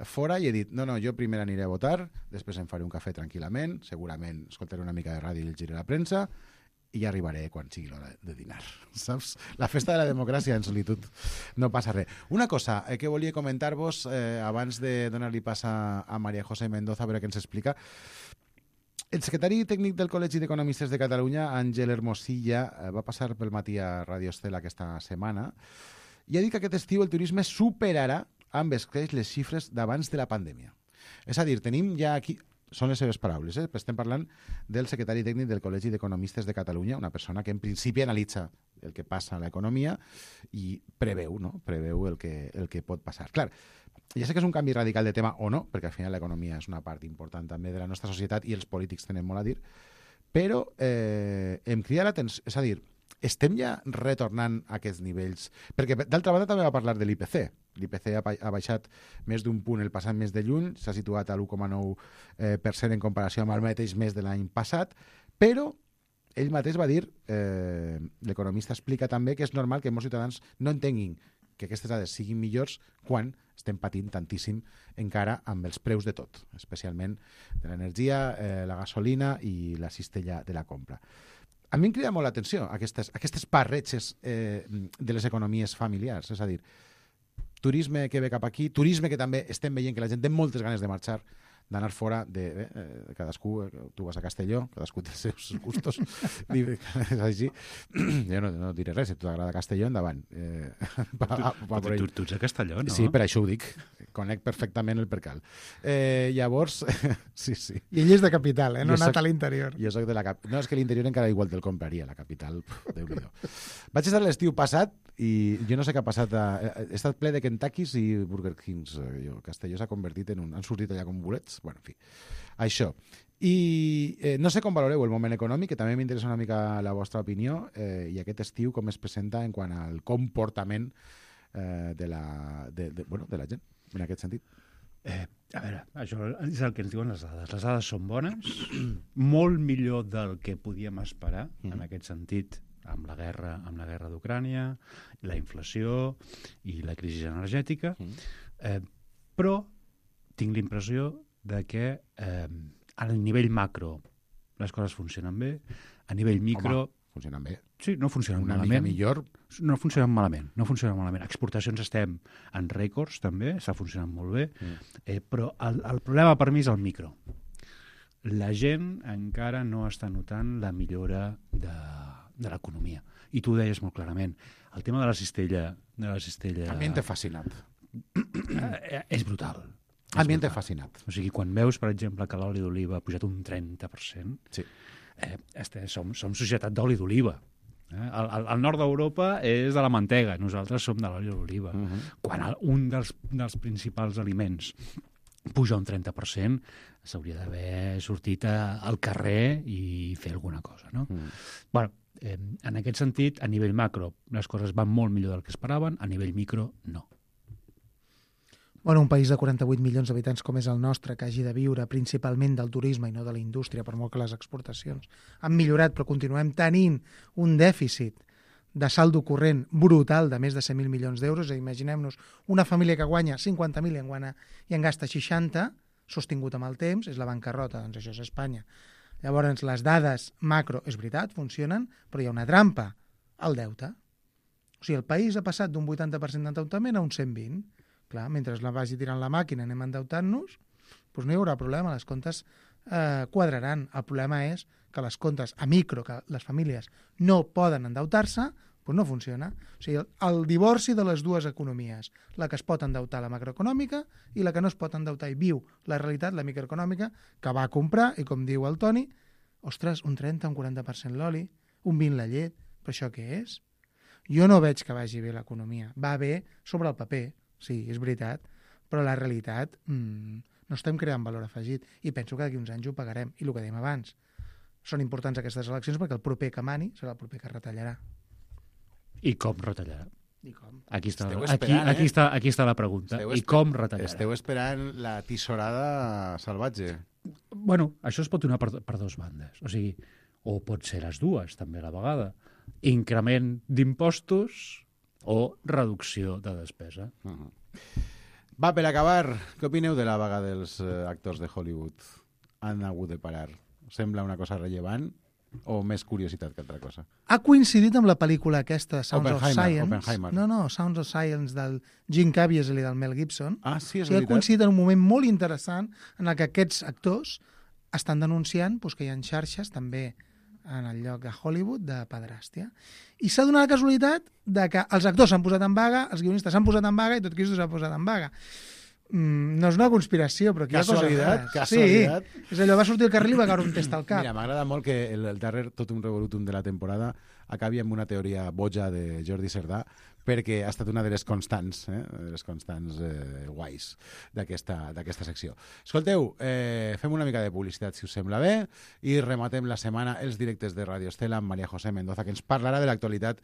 fora i he dit, no, no, jo primer aniré a votar, després em faré un cafè tranquil·lament, segurament escoltaré una mica de ràdio i llegiré la premsa, i ja arribaré quan sigui l'hora de dinar, saps? La festa de la democràcia en solitud, no passa res. Una cosa eh, que volia comentar-vos eh, abans de donar-li pas a, a María José Mendoza, a veure què ens explica. El secretari tècnic del Col·legi d'Economistes de Catalunya, Àngel Hermosilla, eh, va passar pel matí a Radio Estela aquesta setmana i ha dit que aquest estiu el turisme superarà amb escreix les xifres d'abans de la pandèmia. És a dir, tenim ja aquí... Són les seves paraules, eh? Estem parlant del secretari tècnic del Col·legi d'Economistes de Catalunya, una persona que en principi analitza el que passa a l'economia i preveu, no? Preveu el que, el que pot passar. Clar, ja sé que és un canvi radical de tema o no, perquè al final l'economia és una part important també de la nostra societat i els polítics tenen molt a dir, però eh, em crida l'atenció, és a dir, estem ja retornant a aquests nivells? Perquè, d'altra banda, també va parlar de l'I P C. L'I P C ha, ha baixat més d'un punt el passat mes de juny, s'ha situat a l'u coma nou per cent en comparació amb el mateix mes de l'any passat, però ell mateix va dir, eh, l'economista explica també que és normal que molts ciutadans no entenguin que aquestes dades siguin millors quan estem patint tantíssim encara amb els preus de tot, especialment de l'energia, eh, la gasolina i la cistella de la compra. A mi em crida molt l'atenció aquestes, aquestes barretges eh, de les economies familiars, és a dir, turisme que ve cap aquí, turisme que també estem veient que la gent té moltes ganes de marxar, d'anar fora de, eh, de cadascú, tu vas a Castelló, cadascú té els seus gustos, és així. Jo no, no diré res, si t'agrada Castelló, endavant. Eh, pa, pa, pa Tu, tu, tu ets a Castelló, no? Sí, per això ho dic. Conec perfectament el percal. Eh, llavors, sí, sí. I ell és de capital, eh? No Jo ha anat soc- a l'interior. Jo soc de la cap... No, és que l'interior encara igual te'l compraria, la capital, puf, Déu-n'hi-do. Vaig estar l'estiu passat i jo no sé què ha passat. A... He estat ple de Kentuckys i Burger Kings. Eh, Jo, Castelló s'ha convertit en un... Han sortit allà com bolets. Bueno, en fi, això. I eh, no sé com valoreu el moment econòmic, que també m'interessa una mica la vostra opinió, eh, i aquest estiu com es presenta en quant al comportament eh, de, la, de, de, bueno, de la gent, en aquest sentit. Eh, a veure, això és el que ens diuen les dades. Les dades són bones, molt millor del que podíem esperar, mm. en aquest sentit, amb la guerra, amb la guerra d'Ucrània, la inflació i la crisi energètica, mm. eh, però tinc l'impressió de que eh, a nivell macro les coses funcionen bé, a nivell micro... Home, funcionen bé. Sí, no funcionen Una malament. mica millor. No funcionen malament, no funcionen malament. Exportacions estem en rècords, també, està funcionant molt bé, mm. eh, però el, el problema per mi és el micro. La gent encara no està notant la millora de, de l'economia. I tu ho deies molt clarament. El tema de la cistella... De la cistella A mi em té fascinat. eh, és brutal. A mi em té brutal. fascinat. O sigui, quan veus, per exemple, que l'oli d'oliva ha pujat un trenta per cent, Sí. eh, este, som, som societat d'oli d'oliva. Eh? El, el, el nord d'Europa és de la mantega, nosaltres som de l'oli d'oliva. Uh -huh. Quan el, un dels, dels principals aliments puja un trenta per cent, s'hauria d'haver sortit a, al carrer i fer alguna cosa, no? Mm. Bueno, eh, en aquest sentit, a nivell macro, les coses van molt millor del que esperaven, a nivell micro, no. Bueno, un país de quaranta-vuit milions d'habitants com és el nostre, que hagi de viure principalment del turisme i no de la indústria, per molt que les exportacions han millorat, però continuem tenint un dèficit de saldo corrent brutal de més de cent mil milions d'euros. Imaginem-nos una família que guanya cinquanta mil i en, guanya, i en gasta seixanta, sostingut amb el temps, és la bancarrota, doncs això és Espanya. Llavors, les dades macro, és veritat, funcionen, però hi ha una trampa, el deute. O sigui, el país ha passat d'un vuitanta per cent d'endeutament a un cent vint. Clar, mentre la vagi tirant la màquina anem endeutant-nos, doncs no hi haurà problema, les comptes eh, quadraran. El problema és que les comptes a micro, que les famílies no poden endeutar-se, doncs no funciona. O sigui, el, el divorci de les dues economies, la que es pot endeutar, la macroeconòmica, i la que no es pot endeutar i viu la realitat, la microeconòmica, que va a comprar, i com diu el Toni, ostres, un trenta, un quaranta per cent l'oli, un vint la llet, però això què és? Jo no veig que vagi bé l'economia. Va bé sobre el paper, sí, és veritat, però la realitat mmm, no estem creant valor afegit i penso que d'aquí uns anys ho pagarem. I el que dèiem abans, són importants aquestes eleccions perquè el proper que mani serà el proper que retallarà. I com retallarà? I com? Aquí està, Esteu aquí, esperant, aquí, eh? està, aquí està la pregunta. Esteu I esper- com retallarà? Esteu esperant la tisorada salvatge. Bueno, això es pot donar per, per dues bandes. O sigui, o pot ser les dues, també a la vegada. Increment d'impostos o reducció de despesa. Uh -huh. Va, per acabar, què opineu de la vaga dels eh, actors de Hollywood? Han hagut de parar. Us sembla una cosa rellevant o més curiositat que altra cosa? Ha coincidit amb la pel·lícula aquesta, Sounds of Oppenheimer, Science. Oppenheimer. No, no, Sounds of Science del Jim Caviezel i del Mel Gibson. Ah, sí, és O sigui, ha veritat. coincidit en un moment molt interessant en el que aquests actors estan denunciant doncs, que hi ha xarxes també en el lloc de Hollywood de pederàstia. I s'ha donat la casualitat de que els actors s'han posat en vaga, els guionistes s'han posat en vaga i tot Cristo s'ha posat en vaga. Mm, no és una conspiració, però aquí hi ha coses Casualitat, rares. casualitat. Sí, és allò, va sortir al carrer i va caure un test al cap. Mira, m'agrada molt que el, el darrer Totum Revolutum de la temporada acabi amb una teoria boja de Jordi Cerdà, perquè ha estat una de les constants, eh, de les constants eh, guais d'aquesta d'aquesta secció. Escolteu, eh, fem una mica de publicitat, si us sembla bé, i rematem la setmana els directes de Radio Estela amb María José Mendoza, que ens parlarà de l'actualitat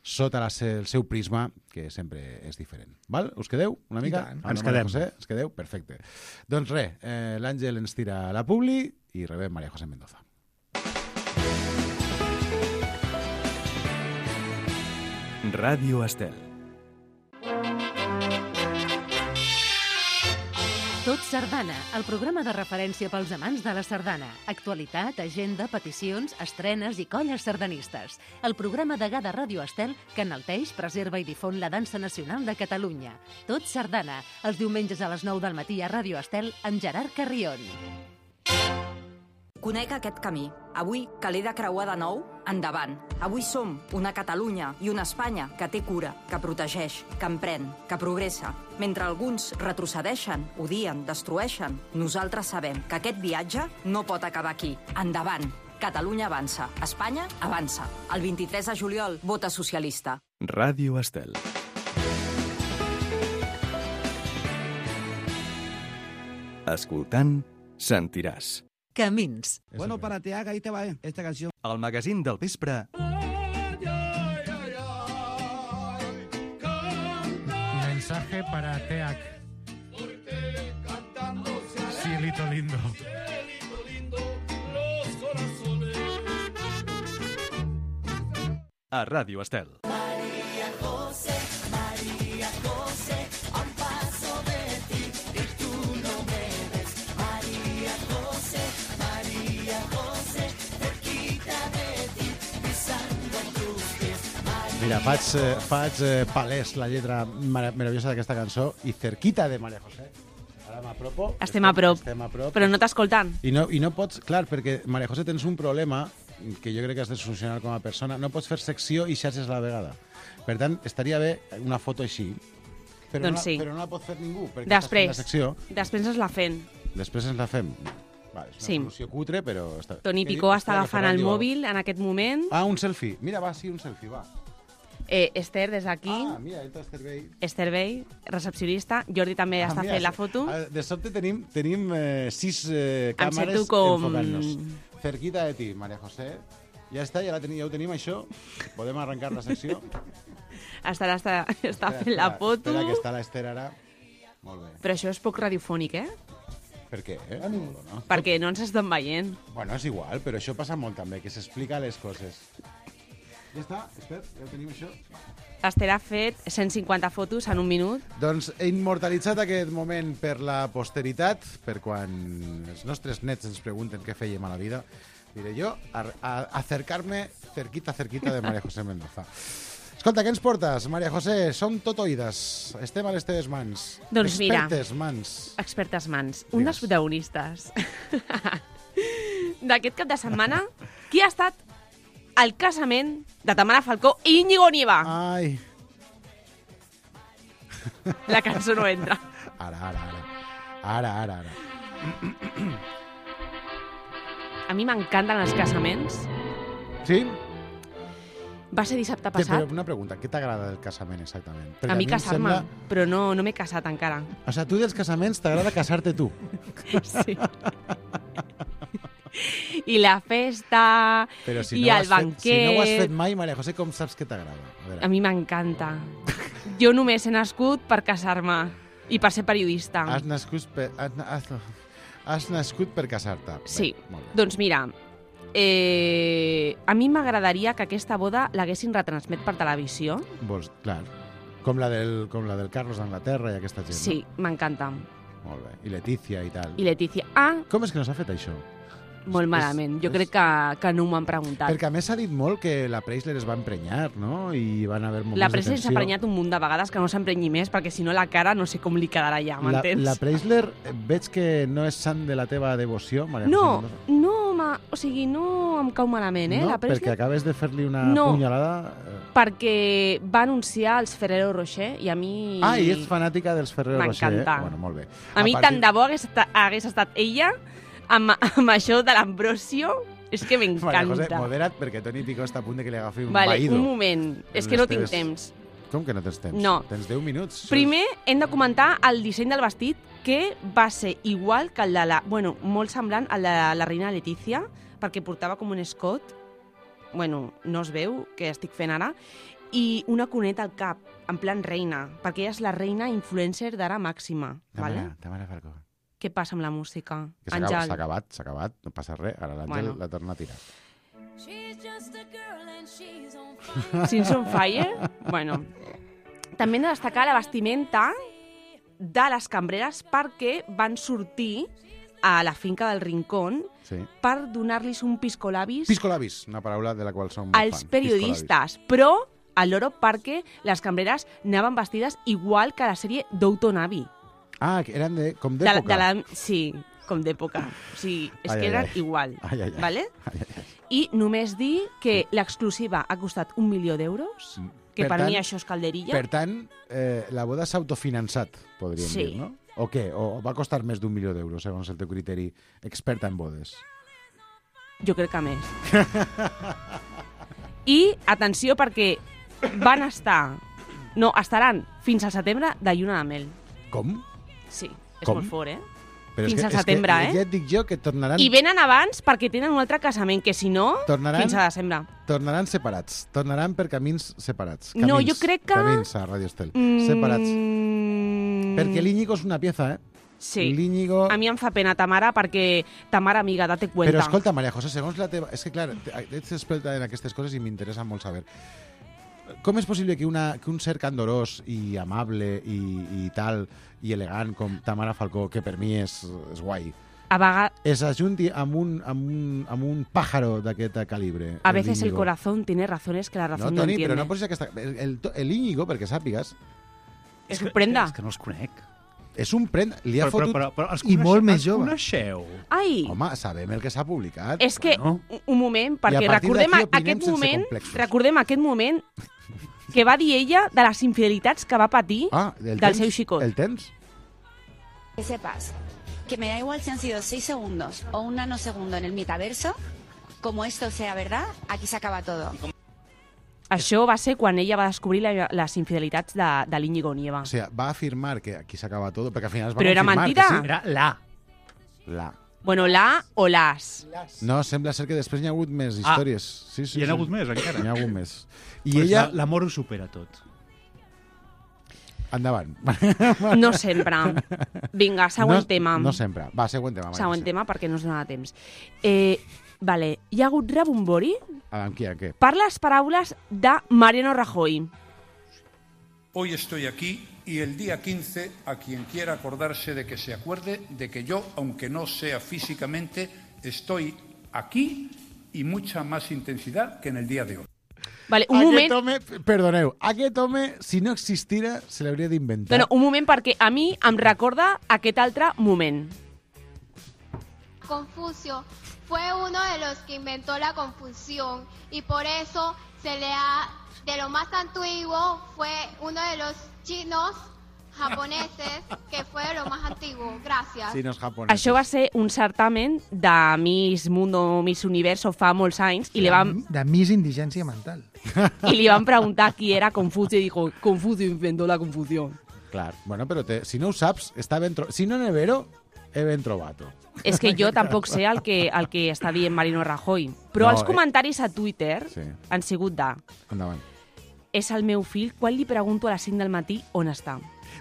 sota la, el seu prisma, que sempre és diferent. Val? Us quedeu una mica? tant. Amb Ens la María quedem. José? Ens quedeu? Perfecte. Doncs res, eh, l'Àngel ens tira la publi i rebem María José Mendoza. Ràdio Estel. Tot Sardana, el programa de referència pels amants de la sardana. Actualitat, agenda, peticions, estrenes i colles sardanistes. El programa degà de Ràdio Estel que enalteix, preserva i difon la dansa nacional de Catalunya. Tot Sardana, els diumenges a les nou del matí a Ràdio Estel amb Gerard Carrion. Conec aquest camí. Avui, que l'he de creuar de nou, endavant. Avui som una Catalunya i una Espanya que té cura, que protegeix, que emprèn, que progressa. Mentre alguns retrocedeixen, odien, destrueixen, nosaltres sabem que aquest viatge no pot acabar aquí. Endavant. Catalunya avança. Espanya avança. El vint-i-tres de juliol, vota socialista. Ràdio Estel. Escoltant, sentiràs. Camins. Bueno, para Teaga, ahí te va esta canción. El magazín del vespre Mensaje para Teac. Cielito lindo. a Ràdio Estel. María José, María José, a un paso de ti y tú no me ves. María José, María José, cerquita de ti, pisando tus pies. María Mira, faig, eh, faig eh, palès la lletra mar meravellosa d'aquesta cançó i cerquita de María José. Ara m'apropo. Estem a prop, estem a prop. però no t'escoltant. I no, I no pots, clar, perquè María José tens un problema que jo crec que has de solucionar com a persona. No pots fer secció i xarxes a la vegada. Per tant, estaria bé una foto així, Però, doncs no, sí. però no la pot fer ningú, perquè Després, estàs fent la secció. després ens la fem. Després ens la fem. Va, és una Sí. solució cutre, però... Està... Toni Què Picó diu? està Espera, que agafant Ferran el diu- mòbil en aquest moment. Ah, un selfie. Mira, va, sí, un selfie, va. Eh, Esther, des d'aquí. Ah, mira, entra Esther Bey. Esther Bey, recepcionista. Jordi també Ah, està mira, fent la sí. foto. Ah, de sobte tenim, tenim eh, sis eh, Em càmeres sento com- enfocant-nos. Cerquita de ti, María José. Ja està, ja, la teni, ja ho tenim, això. Podem arrencar la secció. Estarà, està, està Espera, fent la espera, foto. Espera, que està l'Esther ara. Molt bé. Però això és poc radiofònic, eh? Per què? Eh? No? Perquè no ens estan veient. Bueno, és igual, però això passa molt també, que s'explica les coses. Ja està, Esther, ja ho tenim, això. Esther ha fet cent cinquanta fotos en un minut. Doncs he immortalitzat aquest moment per la posteritat, per quan els nostres nets ens pregunten què fèiem a la vida, diré jo, a, a acercar-me cerquita, cerquita de María José Mendoza. Escolta, què ens portes, María José? Som tot oïdes. Estem a les teves mans. Doncs mira, Expertes mans. expertes mans. Un dels protagonistes d'aquest cap de setmana, qui ha estat al casament de Tamara Falcó i Íñigo Nieva. Ai. La cançó no entra. Ara, ara, ara. Ara, ara, ara. A mi m'encanten els casaments. Sí? Va ser dissabte Què, passat. però una pregunta, què t'agrada del casament exactament? Perquè A mi em casar-me, sembla- però no, no m'he casat encara. O sigui, tu dels casaments t'agrada casar-te tu. Sí. I la festa, Però si i no, ho el has fet, banquet... si no ho has fet mai, María José, com saps que t'agrada? A veure. A mi m'encanta. Jo només he nascut per casar-me i per ser periodista. Has nascut per, has, has, has nascut per casar-te. Sí, Bé, molt bé. doncs mira, eh, a mi m'agradaria que aquesta boda l'haguessin retransmet per televisió. Vols, clar. Com la, del, com la del Carlos d'Anglaterra i aquesta gent. Sí, m'encanta. No? Molt bé. I Letícia i tal. I Letícia. Ah, Com és que no s'ha fet això? molt malament. Jo crec que, que no m'ho han preguntat. Perquè a més s'ha dit molt que la Preisler es va emprenyar, no? I van haver moments La de pressa s'ha tensió. emprenyat un munt de vegades, que no s'emprenyi més, perquè si no la cara no sé com li quedarà ja, La, m'entens? la Preisler, eh, veig que no és sant de la teva devoció, María No, José Mendoza. no, ma, o sigui, no em cau malament, eh? No, la perquè Presley, acabes de fer-li una No. punyalada... eh. perquè va anunciar els Ferrero Rocher i a mi... Ah, i ets fanàtica dels Ferrero Rocher, eh? M'encanta. Bueno, molt bé. A mi partir- tant de bo hagués, esta- hagués estat ella amb, amb això de l'Ambrosio, és que María José, m'encanta. modera't, perquè Toni Picó està a punt de que li agafi un Vale, vaído. un moment, és que les no tinc teves- temps. Com que no tens temps? No. Tens deu minuts. Primer hem de comentar el disseny del vestit, que va ser igual que el de la... Bueno, molt semblant al de la reina Letícia, perquè portava com un escot, bueno, no es veu, que estic fent ara, i una coneta al cap, en plan reina, perquè ella és la reina influencer d'ara màxima. Tamara, Vale? Tamara Falcó. Què passa amb la música? Que s'ha acabat, Àngel. s'ha acabat, s'ha acabat, no passa res. Ara l'Àngel Bueno. la torna a tirar. Sins on Fire? Bueno, també hem de destacar la vestimenta de les cambreres perquè van sortir a la finca del Rincón Sí. per donar-los un piscolabis Piscolabis, una paraula de la qual som molt als fan. periodistes, però a l'oro perquè les cambreres anaven vestides igual que la sèrie Downton Abbey. Ah, que eren de, com De la- d'època. de la- Sí, com d'època. O sigui, és Ai, que ai, eren ai. igual. Ai, ai, ai. Vale? I només dir que l'exclusiva ha costat un milió d'euros, que Per per, tant- mi això és calderilla. Per tant, eh, la boda s'ha autofinançat, podríem Sí. dir, no? O què? O va costar més d'un milió d'euros, segons el teu criteri experta en bodes? Jo crec que més. I, atenció, perquè van estar... No, estaran fins al setembre de lluna de mel. Com? Sí, és Com? molt fort, eh? Però Fins és que, al setembre, és que, eh? Ja et dic jo que tornaran, I venen abans perquè tenen un altre casament, que si no, Tornaran- fins a desembre. tornaran separats. Tornaran per camins separats. No, Camins, jo crec que- Camins a Radio Estel. Mm, Separats. Perquè l'Íñigo és una pieza, eh? Sí. L'Íñigo... A mi em fa pena Tamara perquè Tamara, amiga, date cuenta. Però escolta, María José, segons la teva... És que, clar, ets experta en aquestes coses i m'interessa molt saber. Com és possible que, una, que un ser candorós i amable i, i tal, i elegant com Tamara Falcó, que per mi és, és guai, A vegades, es ajunti amb un, amb un, amb un pájaro d'aquest calibre? a veces el Íñigo? corazón tiene razones que la No, razón no, Toni, entiende. però no posis aquesta... El, el, el Íñigo, perquè sàpigues, Es sorprenda. És que no els conec. és un prend... Li ha Però, però, fotut... però, però els I molt coneixeu- més els jove. coneixeu? Ai, Home, sabem el que s'ha publicat. és que, Bueno. un- un moment, I a perquè partir recordem d'aquí opinem aquest sense moment, complexos. recordem aquest moment que va dir ella de les infidelitats que va patir Ah, el del temps? seu xicot. El temps? Que sepas que me da igual si han sido seis segundos o un nanosegundo en el metaverso, como esto sea verdad, aquí se acaba todo. Això va ser quan ella va descobrir la, les infidelitats de, de l'Íñigo Nieva. O sea, va a afirmar que aquí s'acaba todo, perquè al final es va Però era confirmar mentida. que sí. Era la. La. Bueno, la o las. No, sembla ser que després n'hi ha hagut més Ah, històries. Sí, sí, hi ha sí. hagut més, encara? N'hi ha hagut més. I Pues ella... la- L'amor ho supera tot. Endavant. No sempre. Vinga, següent no, tema. No sempre. Va, següent tema. Maria Següent José. tema, perquè no us dona temps. Eh, vale, hi ha hagut rebombori Amb qui, amb què? per les paraules de Mariano Rajoy. Hoy estoy aquí y el día quince, a quien quiera acordarse de que se acuerde de que yo, aunque no sea físicamente, estoy aquí y mucha más intensidad que en el día de hoy. Vale, un Aquest moment... home, perdoneu, aquest home, si no existira, se l'hauria d'inventar. No, no, un moment, perquè a mi em recorda aquest altre moment. Confucio fue uno de los que inventó la confusión y por eso se le ha, de lo más antiguo, fue uno de los chinos japoneses que fue de lo más antiguo. Gracias. Sí, no és japonès. Això va ser un certamen de Miss Mundo, Miss Universo fa molts anys i li van, De Miss Indigència Mental. i li van preguntar qui era Confucio i dijo, Confucio inventó la confusión. Clar, bueno, però te, si no ho saps, està ben trobat. Si no n'he vero, he ben trobat. És que jo tampoc sé el que, el que està dient Mariano Rajoy, però No, els eh. comentaris a Twitter Sí. han sigut de Endavant. és el meu fill, quan li pregunto a les cinc del matí on està.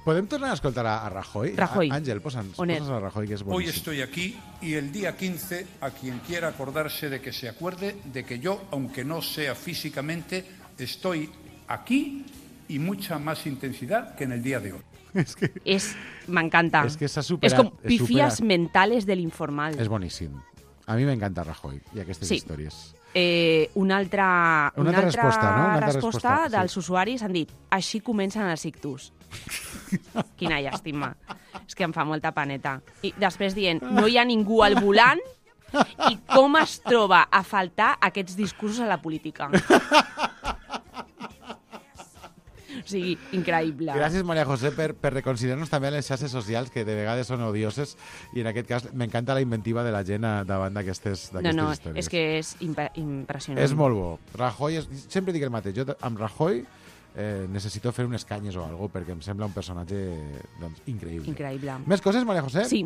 Podem tornar a escoltar a, a Rajoy? Rajoy. A, Àngel, posa'ns, On és? posa'ns a Rajoy, que és Hoy boníssim. estoy aquí y el día quince, a quien quiera acordarse de que se acuerde de que yo, aunque no sea físicamente, estoy aquí y mucha más intensidad que en el día de hoy. És que... És, m'encanta. És que s'ha És superat. com és pifies superat. mentales de l'informal. És boníssim. A mi m'encanta Rajoy i aquestes Sí. històries. Eh, una altra, Una altra resposta, no? Una altra resposta, resposta, sí. dels usuaris han dit així comencen els ictus. Quina llàstima. És que em fa molta paneta. I després dient, no hi ha ningú al volant i com es troba a faltar aquests discursos a la política. O sigui, increïble. Gràcies, Maria José, per, per reconsiderar-nos també a les xarxes socials, que de vegades són odioses, i en aquest cas m'encanta la inventiva de la gent a- davant d'aquestes No, d'aquestes no, històries. és que és imp impressionant. És molt bo. Rajoy, és, sempre dic el mateix, jo amb Rajoy eh, necessito fer unes canyes o alguna perquè em sembla un personatge doncs, increïble. Increïble. Més coses, Maria José? Sí.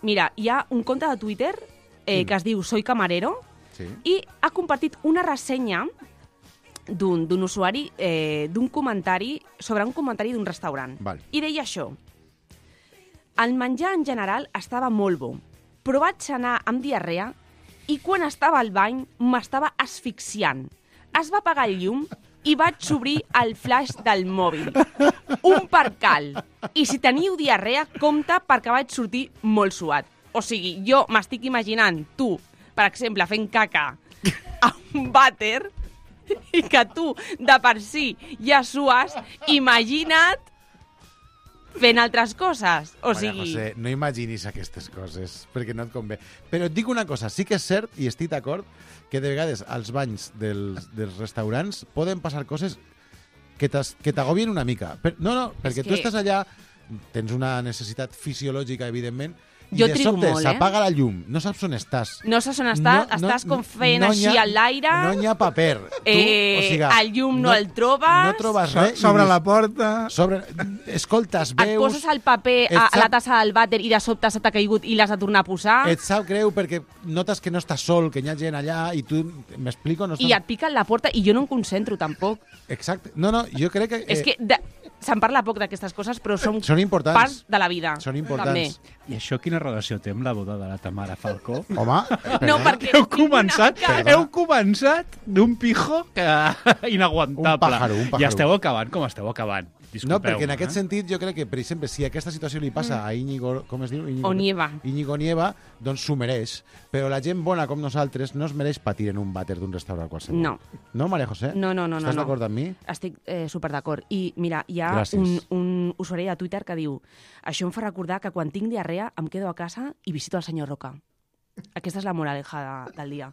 Mira, hi ha un compte de Twitter eh, Sí. que es diu Soy Camarero Sí. i ha compartit una ressenya d'un d'un usuari, eh, d'un comentari, sobre un comentari d'un restaurant. Val. I deia això. El menjar en general estava molt bo, però vaig anar amb diarrea i quan estava al bany m'estava asfixiant. Es va apagar el llum i vaig obrir el flash del mòbil. Un percal. I si teniu diarrea, compte perquè vaig sortir molt suat. O sigui, jo m'estic imaginant tu, per exemple, fent caca a un vàter i que tu, de per si, ja sues, imagina't fent altres coses. O Maria sigui... José, no imaginis aquestes coses, perquè no et convé. Però et dic una cosa, sí que és cert, i estic d'acord, que de vegades als banys dels, dels restaurants poden passar coses que t'as- que t'agobien una mica. Per, no, no, perquè tu que- estàs allà, tens una necessitat fisiològica, evidentment, i Jo de trigo sobte molt, eh? s'apaga la llum, no saps on estàs. No saps on estàs, No, no, estàs com fent no així n'hi ha- a l'aire, No n'hi ha paper. Tu, eh, o sigui, el llum no, el trobes, No trobes res. i Sobre dius- la porta... Sobre, escoltes, et veus... poses el paper et a, a la sap- tassa del vàter i de sobte se t'ha caigut i l'has de tornar a posar Et sap greu perquè notes que no estàs sol, que hi ha gent allà i tu, m'explico? No i estàs... et piquen la porta i jo no em concentro tampoc. Exacte. No, no, jo crec que... Eh, És que de... se'n parla poc d'aquestes coses, però són, Són importants. part de la vida. Són importants. També. I això quina relació té amb la boda de la Tamara Falcó? Home, No, perquè heu començat, Perdona. heu començat d'un pijo que... inaguantable. Un pájaro, un pájaro. I esteu acabant com esteu acabant. no, perquè en Disculpeu-me, aquest eh? sentit jo crec que, per exemple, si aquesta situació li passa a Íñigo, com es diu? Íñigo, Onieva. Íñigo Nieva, doncs s'ho mereix. Però la gent bona com nosaltres no es mereix patir en un vàter d'un restaurant qualsevol. No. No, Maria José? No, no, no. Estàs no, no. d'acord amb mi? Estic eh, super d'acord. I mira, hi ha Gràcies. un, un usuari de Twitter que diu això em fa recordar que quan tinc diarrea em quedo a casa i visito el senyor Roca. Aquesta és la moraleja de, del dia.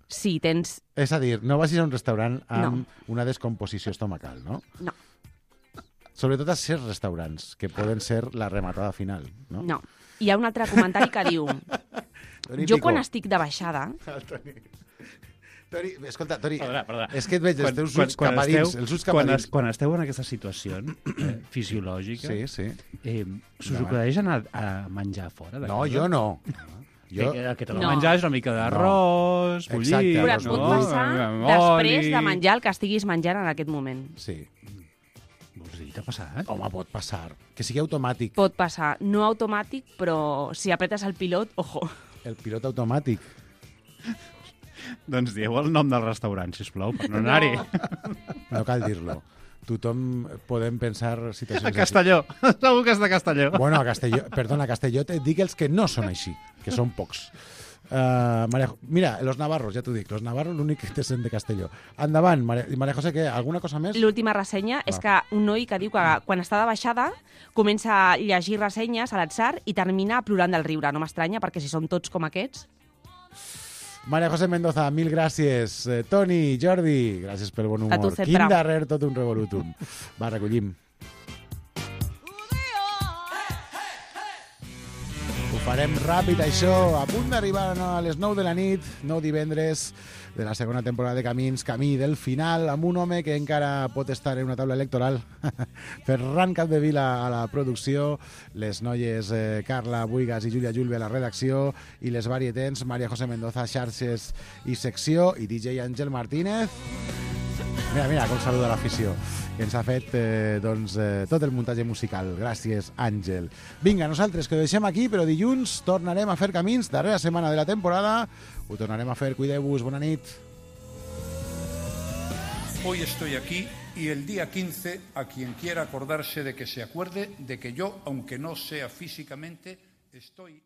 si tens... És a dir, no vagis a un restaurant amb No. una descomposició estomacal, no? No. Sobretot a certs restaurants, que poden ser la rematada final, no? No. Hi ha un altre comentari que diu... Toni jo Pico. quan estic de baixada... Toni, Toni, escolta, Toni, Perdona, perdona. és que et veig els teus ulls cap a dins, els ulls cap a quan, dins. es, quan esteu en aquesta situació eh, fisiològica, Sí, sí. eh, s'us Endavant. acudeix anar a menjar fora de No, casa? jo no. Jo... Jo- Que, que te No. no. menjar és una mica d'arròs, No. bullit... Exacte, Però arròs et pot bullit. passar amb després oli. de menjar el que estiguis menjant en aquest moment. Sí. Vols dir, t'ha passat? Home, pot passar. Que sigui automàtic. Pot passar. No automàtic, però si apretes el pilot, ojo. El pilot automàtic. Doncs dieu el nom del restaurant, sisplau, per no anar-hi. No cal dir-lo. Tothom podem pensar situacions A Castelló. Segur que és de Castelló. Així. Bueno, a Castelló, perdona, a Castelló et dic els que no són així, que són pocs. Uh, Maria, mira, los navarros, ja t'ho dic, los navarros l'únic que te sent de Castelló. Endavant, Maria, Maria José, què? Alguna cosa més? L'última ressenya és que un noi que diu que quan està de baixada comença a llegir ressenyes a l'atzar i termina plorant del riure. No m'estranya, perquè si són tots com aquests... Maria José Mendoza, mil gràcies. Eh, Toni, Jordi, gràcies pel bon humor. A tu sempre. Quin darrer tot un revolutum. Va, recollim. Ho farem ràpid, això. A punt d'arribar a les nou de la nit, nou divendres de la segona temporada de Camins, camí del final, amb un home que encara pot estar en una taula electoral. Ferran Capdevila a la producció, les noies eh, Carla Buigas i Júlia Julve a la redacció, i les varietens Maria José Mendoza, xarxes i secció, i D J Àngel Martínez. Mira, mira, com saluda l'afició, que ens ha fet eh, doncs, eh, tot el muntatge musical. Gràcies, Àngel. Vinga, nosaltres que ho deixem aquí, però dilluns tornarem a fer camins, darrera setmana de la temporada. Ho tornarem a fer, cuideu-vos, bona nit. Hoy estoy aquí y el día quince, a quien quiera acordarse de que se acuerde de que yo, aunque no sea físicamente, estoy...